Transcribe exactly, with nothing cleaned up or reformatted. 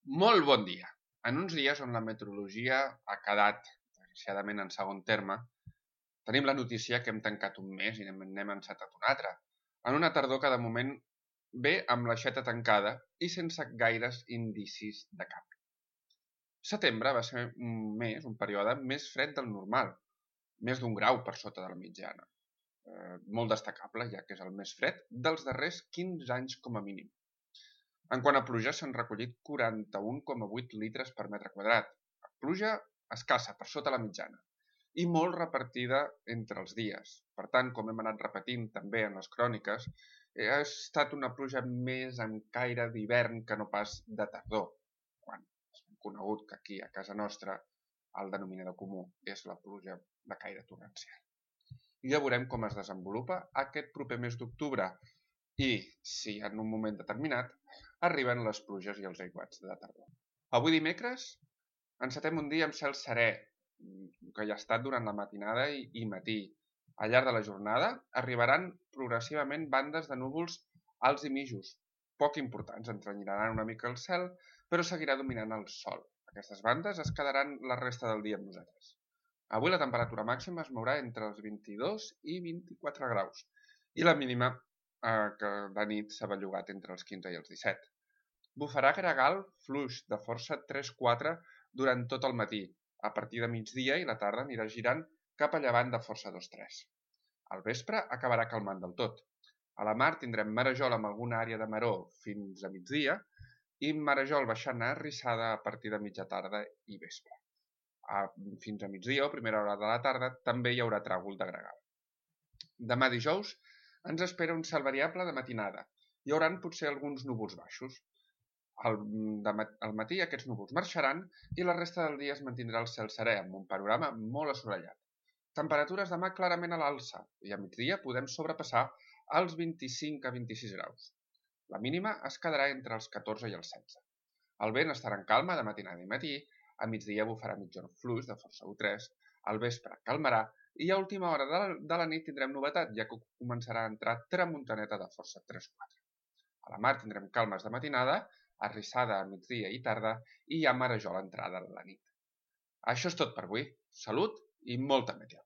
Molt bon dia. En uns dies on la meteorologia ha quedat, desgraciadament, en segon terme, tenim la notícia que hem tancat un mes i n'hem encetat un altre, en una tardor que de moment ve amb l'aixeta tancada i sense gaires indicis de canvi. Setembre va ser un mes, un període més fred del normal, més d'un grau per sota de la mitjana. Eh, molt destacable, ja que és el més fred dels darrers quinze anys com a mínim. En quant a pluja, s'han recollit quaranta-un coma vuit litres per metre quadrat. Pluja escassa, per sota la mitjana, i molt repartida entre els dies. Per tant, com hem anat repetint també en les cròniques, ha estat una pluja més en caire d'hivern que no pas de tardor, quan és conegut que aquí a casa nostra el denominador comú és la pluja de caire torrencial. I ja veurem com es desenvolupa aquest proper mes d'octubre i, si en un moment determinat, arriben les pluges i els aiguats de tardor. Avui dimecres encetem un dia amb cel serè, que hi ha estat durant la matinada i, i matí. Al llarg de la jornada arribaran progressivament bandes de núvols alts i mitjos, poc importants, entrenyiraran una mica el cel, però seguirà dominant el sol. Aquestes bandes es quedaran la resta del dia amb nosaltres. Avui la temperatura màxima es mourà entre els vint-i-dos i vint-i-quatre graus i la mínima eh, que de nit s'ha bellugat entre els quinze i els disset. Bufarà gregal fluix de força tres quatre durant tot el matí. A partir de migdia i la tarda anirà girant cap a llevant de força dos tres. Al vespre acabarà calmant del tot. A la mar tindrem marejol amb alguna àrea de maró fins a migdia i marejol baixant a arrissada a partir de mitja tarda i vespre. A, fins a migdia o primera hora de la tarda també hi haurà tràgol de gregal. Demà dijous ens espera un cel variable de matinada. Hi haurà potser alguns núvols baixos. Al, al matí aquests núvols marxaran i la resta del dia es mantindrà el cel serè amb un panorama molt assolellat. Temperatures demà clarament a l'alça i a migdia podem sobrepassar els vint-i-cinc a vint-i-sis graus. La mínima es quedarà entre els catorze i els setze. El vent estarà en calma de matinada i matí, a migdia bufarà mitjorn fluix de força u tres, al vespre calmarà i a última hora de la, de la nit tindrem novetat, ja que començarà a entrar tramuntaneta de força tres quatre. A la mar tindrem calmes de matinada, arrissada a migdia i tarda i hi ha marejol a l'entrada de la nit. Això és tot per avui. Salut i molta meteo.